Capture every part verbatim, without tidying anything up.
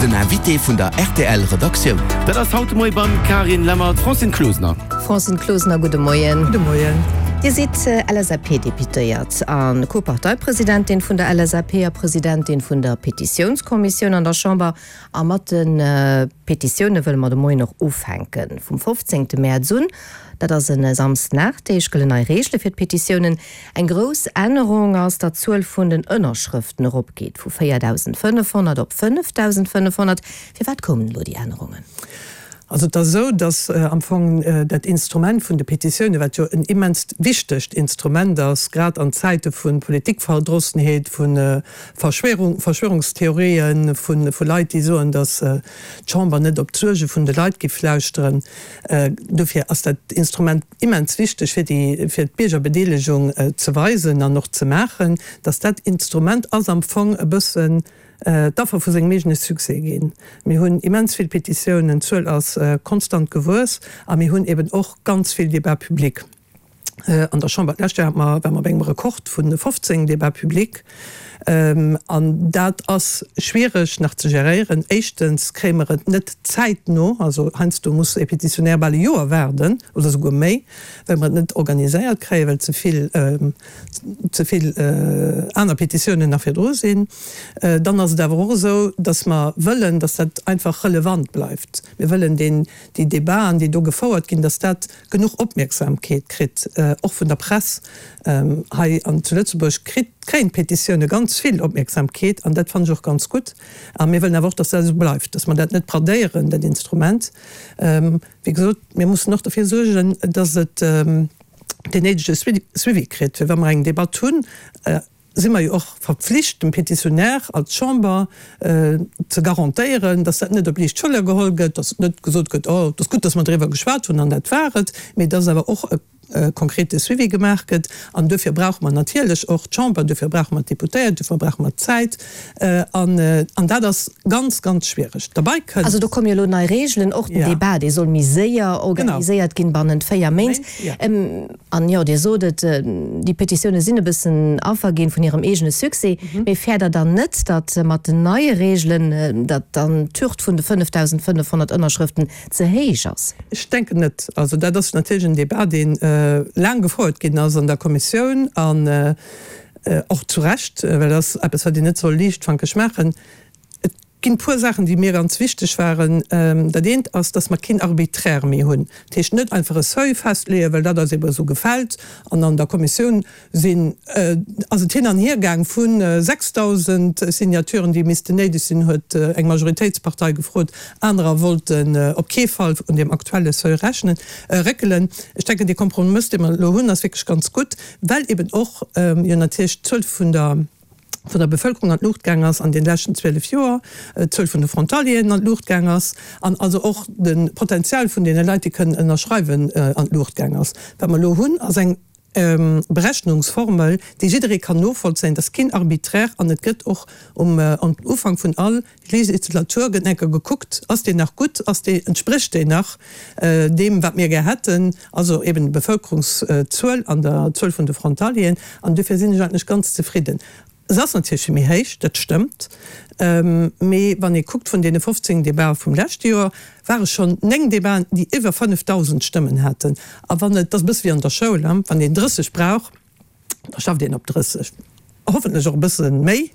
Den Invité vun der R T L Redaktioun. Dat ass haut de Moie beim Carine Lemmer d'Francine Closener. Francine Closener, gudde Moien. Gudde Moien. Dir sidd L S A P-Deputéiert a Co-Parteipresidentin vun der L S A P a Presidentin vun der Petitiounskommissioun an der Chamber. A mat de Petitioune wëlle mer de Moien och ufänken. Vum fofzéngte Mäerz un, dat ass e Samschden, gëllen nei Reegele fir d'Petitiounen. Eng grouss Ännerung ass, datt d'Zuel vun den Ënnerschrëften eropgeet vu véierdausendfënnefhonnert op fënnefdausendfënnefhonnert. Firwat koumen elo déi Ännerungen? Also et ass esou, datt am Fong dat Instrument vun de Petitioune, wat jo en immenst wichtegt Instrument ass, grad an Zäite vu Politikverdrossenheet, vu Verschwörung, Verschwörungstheorien, vu vu Leit, déi soen, datt d'Chamber net op d'Suerge vun de Leit géif lauschteren, dofir ass dat Instrument immens wichteg, fir déi, fir d'Biergerbedeelegung ze weisen an och ze maachen, datt dat Instrument ass am Fong e bëssen d'Affer vu sengem eegene Succès ginn. Mir hunn immens vill Petitiounen, d'Zuel ass konstant gewuess a mir hunn eben och ganz vill Débat public an der Chamber. D'lescht Joer hate mer, ware mer bei engem Rekord vu fofzéng Débats publics. An dat ass schwiereg nach ze geréieren. Éischtens kréie mer et net zäitno, also heiansdo muss e Petitionär bal e Joer waarden oder souguer méi, well mer et net organiséiert kréien, well ze vill, ze vill aner Petitiounen nach virdru sinn. Dann ass et awer och esou, dass mer wëllen, dass dat einfach relevant bleift. Mir wëllen deen, déi Debaten, déi do gefouert ginn, dass dat genuch Opmierksamkeet kritt, och vun der Press. Hei an zu Lëtzebuerg kritt, kréien d'Petitioune ganz vill Opmierksamkeet an dat fannen ech och ganz gutt. A mir wëllen awer och, dass dat esou bleift, dass mer dat net bradéieren, dat Instrument. Wéi gesot, mir mussen och derfir suergen, dass et deen néidege Suivi kritt, fir wa mer eng Debatt hunn, si mer jo och verpflicht, dem Petitionär als Chamber ze garantéieren, dass dat net op liicht Schëller geholl gëtt, dass net gesot gëtt, oh, et ass gutt, dass mer driwwer geschwat hunn an dat war et, mee dass awer och e konkrete Suivi gemaach gëtt. An duerfir brauche mer natierlech och d'Chamber, duerfir brauche mer d'Deputéiert, duerfir brauche mer d'Zäit. An, an dat ass ganz, ganz schwiereg. Derbäi kënnt. Also do komme jo elo nei Reegelen, och den Debat, dee soll méi séier organiséiert ginn, bannent véier Méint. An jo, Dir sot et, déi Petitioune sinn e bëssen Affer ginn vun hirem eegene Succès. Mee fäert Der dann net, datt mat den neie Reegelen, datt dann d'Hürd vun de fënnefdausendfënnefhonnert Ënnerschrëften ze héich ass? Ech denken net. Also dat ass natierlech en Debat, deen laang gefouert ginn ass an der Kommissioun an och zu Recht, well dat ass eppes, wat een net soll liichtfankeg maachen. Et ginn e puer Saachen, déi mir ganz wichteg waren. Dat eent ass, dass mer keen Arbitraire méi hunn. Dat heescht net einfach e Seuil festleeën, well dat eis ebe esou gefält. An an der Kommissioun sinn, ass et hin an hier gaang vu sechsdausend Signaturen, déi missten néideg sinn, huet eng Majoritéitspartei gefrot. Anerer wollten op kee Fall un deem aktuelle Seuil rechnen, réckelen. Ech denken, dee Kompromëss, dee mer elo hunn, ass wierklech ganz gutt, well eben och jo natierlech d'Zuel vun der vun der Bevëlkerung an d'Luucht gaang ass an den leschten zwielef Joer, d'Zuel vun de Frontalieren an d'Luucht gaang ass an also och de Potenzial vun deene Leit, déi kënnen ënnerschreiwen, an d'Luucht gaang ass. Wat mer elo hunn, ass eng Berechnungsformel, déi jidderee kann novollzéien, dat ass keen Arbitraire an et gëtt och um Ufank vun all Legislatur gëtt eng Kéier gekuckt, ass deen nach gutt, ass dee, entsprécht deen nach deem, wat mir gär hätten, also eben der Bevëlkerungszuel an der Zuel vun de Frontalieren. An dofir sinn ech eigentlech ganz zefridden. Se ass natierlech méi héich, dat stëmmt, mee wann ee kuckt, vun deene fofzéng Debatë vum leschte Joer ware schonn néng Debaten, déi iwwer fënnefdausend Stëmmen haten. A wann et, dat ass e bësse wéi an der Schoul, wann een drësseg brauch, da schafft een op drësseg, hoffentlech och e bësse méi,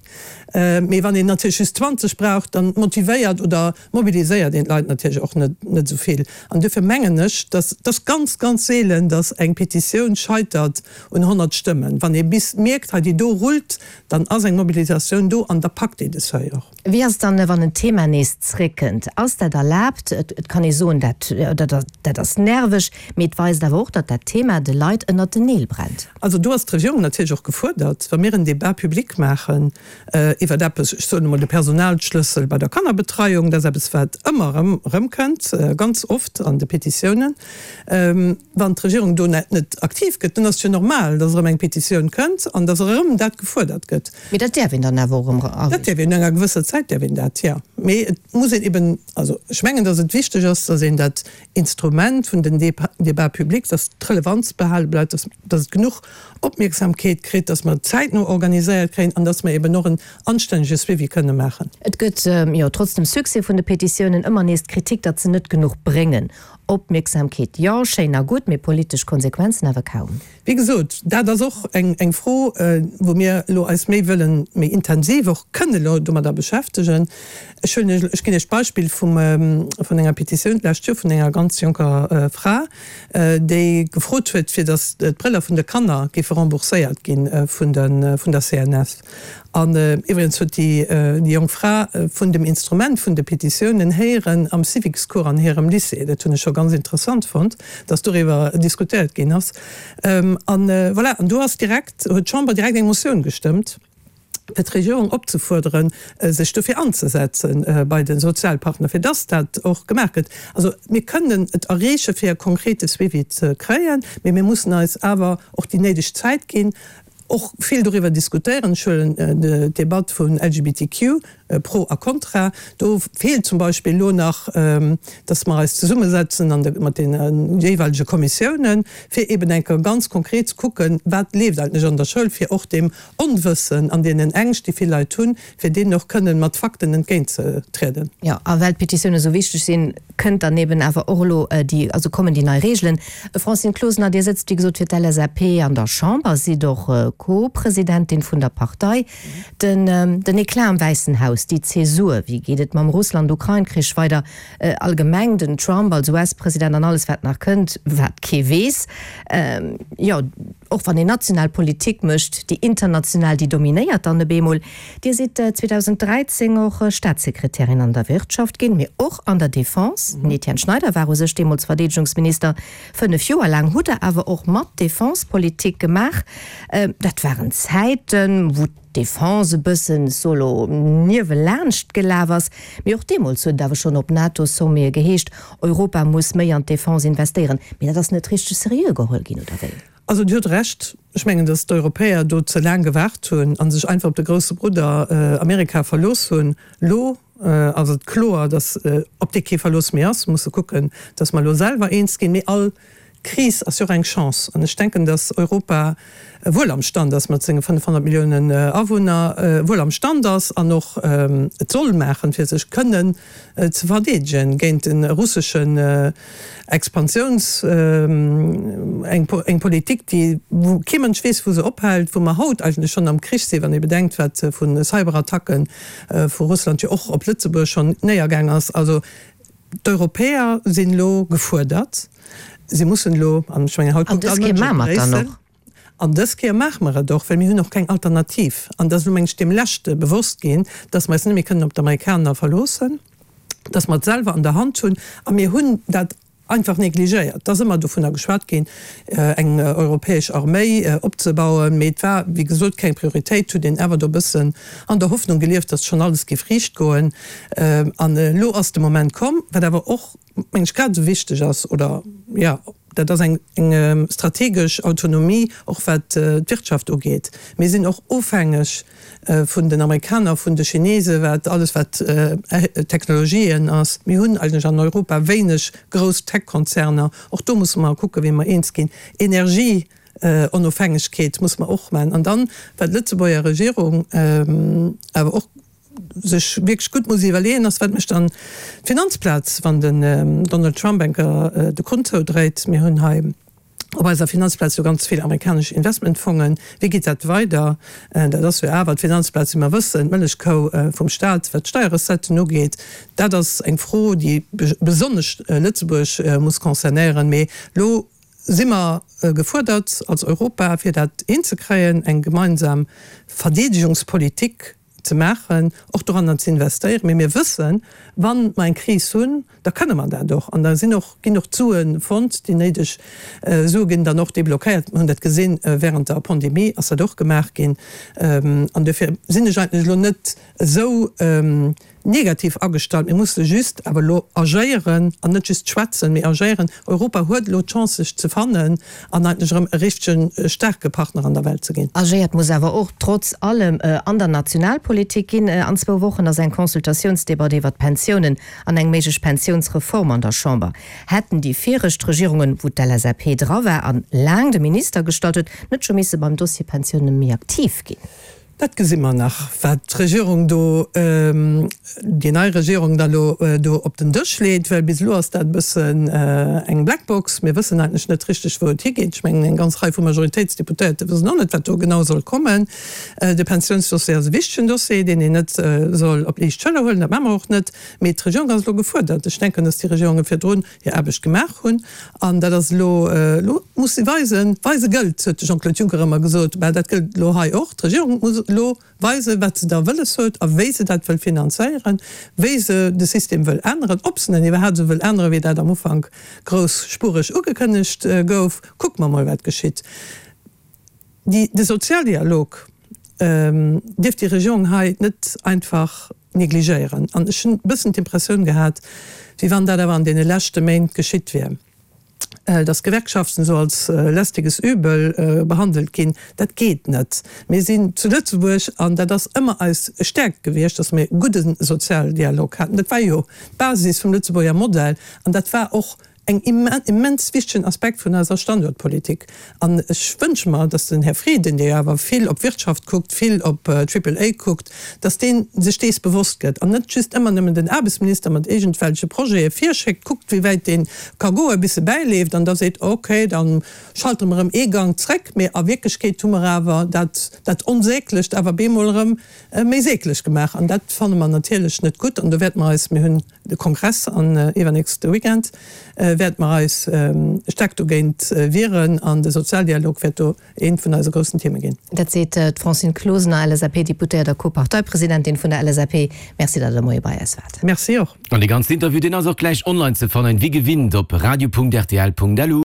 mee wann een natierlech just zwanzeg brauch, dann motivéiert oder mobiliséiert een d'Leit natierlech och net net esou vill. An duerfir mengen ech, dass et ass ganz, ganz seelen, dass eng Petitioun scheitert un honnert Stëmmen. Wann ee bis mierkt, hei déi do rullt, dann ass eng Mobilisatioun do an da packt ee de Seuil och. Wéi ass et dann, wann en Thema nees zréckkënnt? Ass dat erlaabt? Et kann ee soen, dat dat ass nerveg, mee et weist awer och, datt dat Thema de Leit ënnert den Neel brennt. Also do ass d'Regierung natierlech och gefuerdert, wa mir en Débat public maachen iwwert eppes, ech soen emol de Personalschlëssel bei der Kannerbetreiung, dat ass eppes wat ëmmer erëm erëmkënnt, ganz oft an de Petitiounen, wann d'Regierung do net net aktiv gëtt, dann ass et jo normal, datt erëm eng Petitioun kënnt an datt erëm dat gefuerdert gëtt. Mee dat däerf een dann awer och erëm Dat däerf een, no enger gewësser Zäit däerf een dat, jo. Mee et muss een eben, also ech mengen, datt et wichteg ass, datt een dat Instrument vun den Débat public, datt d'Relevanz behale bleift, datt datt et genuch Opmierksamkeet kritt, datt mer et zäitno organiséiert kréien an datt mer eben och en anstännege Suivi kënne maachen. Et gëtt jo trotz dem Succès vun de Petitiounen ëmmer nees d'Kritik, datt se net genuch bréngen. Opmierksamkeet jo, schéin a gutt, mee politesch Konsequenzen awer kaum. Wéi gesot, dat ass och eng eng Fro, wou mir elo eis méi wëllen, méi intensiv och kënne elo domadder beschäftegen. Ech huelen Iech, ech ginn Iech d'Beispill vum, vun enger Petitioun d'lescht Joer vun enger ganz jonker Fra, déi gefrot huet, fir datt d'Brëller vun de Kanner géife rembourséiert gi vun de, vun der C N S. An iwwregens huet déi, déi jonk Fra vun dem Instrument vun de Petitiounen héieren am Civicscours an hirem Lycée. Dat hunn ech scho ganz interessant fonnt, datt doriwwer diskutéiert ginn ass. An voilà, an do ass direkt, huet d'Chamber direkt eng Motioun gestëmmt, fir d'Regierung opzefuerderen, sech dofir anzesetzen bei de Sozialpartner, fir dass dat och gemaach gëtt. Also mir kënnen et erreeche fir e konkrete Suivi ze kréien, mee mir mussen eis awer och déi néideg Zäit ginn, och vill doriwwer diskutéieren. Ech huelen d'Debatt vun L G B T Q, Pro a Contra. Do feelt zum Beispill elo nach, dass mer eis zesummesetzen an de, mat deene jeeweilege Kommissiounen, fir eben eng Kéier ganz konkret ze kucken, wat leeft eigentlech an der Schoul, fir och deem Onwëssen an deenen Ängscht, déi vill Leit hunn, fir deenen och kënnen mat Fakten entgéintzetrieden. Jo, a well d'Petitioune esou wichteg sinn, kënnt dann eben awer och elo déi, also kommen déi nei Reegelen. Francine Closener, Dir sëtzt, wéi gesot, fir d'L S A P an der Chamber, sidd och Co-Presidentin vun der Partei. Den, den Eclat am Wäissen Haus, déi Zäsur, wéi geet et mam Russland-Ukrain-Krich weider, allgemeng den Trump als U S-President an alles wat nach kënnt, wat kee weess. Jo, och wann een national Politik mécht, déi international, déi dominéiert dann op eemol. Dir sidd zweedausend dräizéng och Staatssekretärin an der Wirtschaft ginn, mee och an der Defense. Den Etienne Schneider war u sech deemools Verdeedegungsminister. Fënnef Joer laang hutt Der awer och mat Defense-Politik gemaach. Dat waren Zäiten, wou d'Defense e bëssen solo niewelaanscht gelaf ass. Mee och deemools huet et awer schonn op NATO-Sommete geheescht, Europa muss méi an d'Defense investéieren. Mee dat ass net richteg seriö geholl ginn, oder wéi? Also Dir hutt Recht. Ech mengen, datt d'Europäer do ze laang gewaart hunn a sech einfach op de grousse Brudder Amerika verlooss hunn. Elo ass et kloer, datt op dee kee Verlooss méi ass. Mir musse kucken, datt mer elo selwer eens ginn. Mee all Kris ass jo och eng Chance. An ech denken, datt Europa wuel am Stand ass, mat senge fënnefhonnert Milliounen Awunner, wuel am Stand ass an och et soll maachen, fir sech kënnen ze verdeedegen géint de russeschen Expansiouns, eng eng Politik, déi, wou kee Mënsch weess, wou se ophält, wou mer haut eigentlech schonn am Krich sinn, wann ee bedenkt, wat vu Cyberattacke vu Russland jo och op Lëtzebuerg schonn néiergaang ass. Also d'Europäer sinn elo gefuerdert. Si mussen elo, an ech mengen, haut An kuckt dës all Kéier Mënsch maache op mer et dann Bréissel. och. An dës Kéier maache mer et och, well mir hunn och keng Alternativ. An dat ass elo, meng ech, deem Leschte bewosst ginn, dass mer eis net méi kënnen op d'Amerikaner verloossen, dass mer et selwer an der Hand hunn. A mir hunn dat einfach negligéiert. Et ass ëmmer dovunner geschwat ginn, eng europäesch Arméi opzebauen, mee et war, wéi gesot, keng Prioritéit. Et huet een awer do e bëssen an der Hoffnung gelieft, dass schonn alles géif riicht goen. An elo ass de Moment komm, wat awer och, meng ech, grad esou wichteg ass, oder jo, dat ass eng strategesch Autonomie, och wat d'Wirtschaft ugeet. Mir sinn och ofhängeg vun den Amerikaner, vun de Chinesen, wat alles wat Technologien ass. Mir hunn eigentlech an Europa wéineg grouss Tech-Konzerner. Och do musse mer kucken, wéi mer eens ginn. Energieonofhängegkeet musse mer och maachen. An dann, wat d'Lëtzebuerger Regierung awer och sech wierklech gutt muss iwwerleeën, ass, wat mécht dann d'Finanzplaz, wann den Donald Trump eng Kéier de Krunn zoudréit. Mir hunn hei op eiser Finanzplaz jo ganz vill amerikanesch Investmentfongen. Wéi geet dat weider? Dat ass jo awer d'Finanzplaz, wéi mer wëssen, d'Mëllechkou vum Staat, wat d'Steierrecetten ugeet. Dat ass eng Fro, déi besonnesch Lëtzebuerg muss concernéieren. Mee elo si mer gefuerdert als Europa, fir dat hinzekréien, eng gemeinsam Verdeedegungspolitik ze maachen, och doranner ze investéieren. Mee mir wëssen, wa mer eng Kris hunn, da kënne mer dat och. An da sinn och, ginn och d'Sue fonnt, déi néideg Sue ginn dann och deblockéiert. Mir hunn dat gesinn, während der Pandemie ass dat och gemaach ginn. An dofir sinn ech eigentlech elo net esou negativ agestallt. Mir musse just awer elo agéieren an net just schwätzen, mee agéieren. Europa huet elo d'Chance sech ze fannen an eigentlech erëm e richtegen staarke Partner an der Welt ze ginn. Agéiert muss awer och trotz allem an der Nationalpolitik ginn. An zwou Wochen ass eng Consultatiounsdebatt iwwert d'Pensiounen an eng méiglech Pensiounsreform an der Chamber. Hätten déi viregt Regierungen, wou d'LSAP dra war an laang de Minister gestallt huet, net scho misse beim Dossier Pensioune méi aktiv ginn? Dat gesi mer nach, wat d'Regierung do, déi nei Regierung da lo do op den Dësch leet, well bis elo ass dat e bëssen eng Blackbox. Mir wëssen eigentlech net richteg, wou et higeet. Ech mengen, eng ganz Rei vu Majoritéitsdeputéierte wëssen och net, wat do genau soll kommen. De Pensiounsdossier ass e wichtegen Dossier, deen een net soll op liicht Schëller huelen. Dat maache mer och net. Mee d'Regierung ass elo gefuerdert. Ech denken, datt déi Regierunge virdrun hir Aarbecht gemaach hunn. An dat ass elo, elo muss si weisen, weise gëllt, huet de Jean-Claude Juncker ëmmer gesot. Mä dat gëllt elo hei och. D'Regierung muss elo weisen, wat se da wëlles huet a wéi se dat wëll finanzéieren, wéi se de System wëll änneren, ob se en iwwerhaapt esou wëll änneren, wéi dat am Ufank groussspureg ugekënnegt gouf. Kucke mer mol, wat geschitt. Déi, de Sozialdialog dierf déi Regierung hei net einfach negligéieren. An ech hunn e bëssen d'Impressioun gehat, wéi wann dat awer an deene leschte Méint geschitt wier, dass d'Gewerkschaften esou als lästiges Übel behandelt ginn. Dat geet net. Mir sinn zu Lëtzebuerg, an dat ass ëmmer eis Stäerkt gewiescht, dass mir e gudde Sozialdialog haten. Dat war jo d'Basis vum Lëtzebuerger Modell an dat war och eng immens wichtegen Aspekt vun eiser Standuertpolitik. An ech wënsche mer, dass den Här Frieden, dee jo awer vill op Wirtschaft kuckt, vill op Triple A kuckt, dass dee sech dees bewosst gëtt an net just ëmmer nëmmen den Aarbechtsminister mat iergendwelche Projete virschéckt, kuckt, wéi wäit dee ka goen, bis e bäileeft an da seet, okay, da schalte mer erëm ee Gank zréck, mee a Wierklechkeet hu mer awer dat, dat Onsäglecht awer bemol erëm méi säglech gemaach. An dat fanne mer natierlech net gutt. An do wäerte mer eis, mir hunn de Kongress an iwwernächste Weekend, wäerte mer eis staark dogéint wieren an de Sozialdialog wäert do eent vun eise groussen Theme ginn. Dat seet d'Francine Closener, L S A P-Deputéiert a Co-Parteipresidentin vun der L S A P. Merci, datt Der de Moie bei eis waart. Merci och. An dee ganzen Interview, deen ass och gläich online ze fannen, wéi gewinnt op radio Punkt R T L Punkt L U.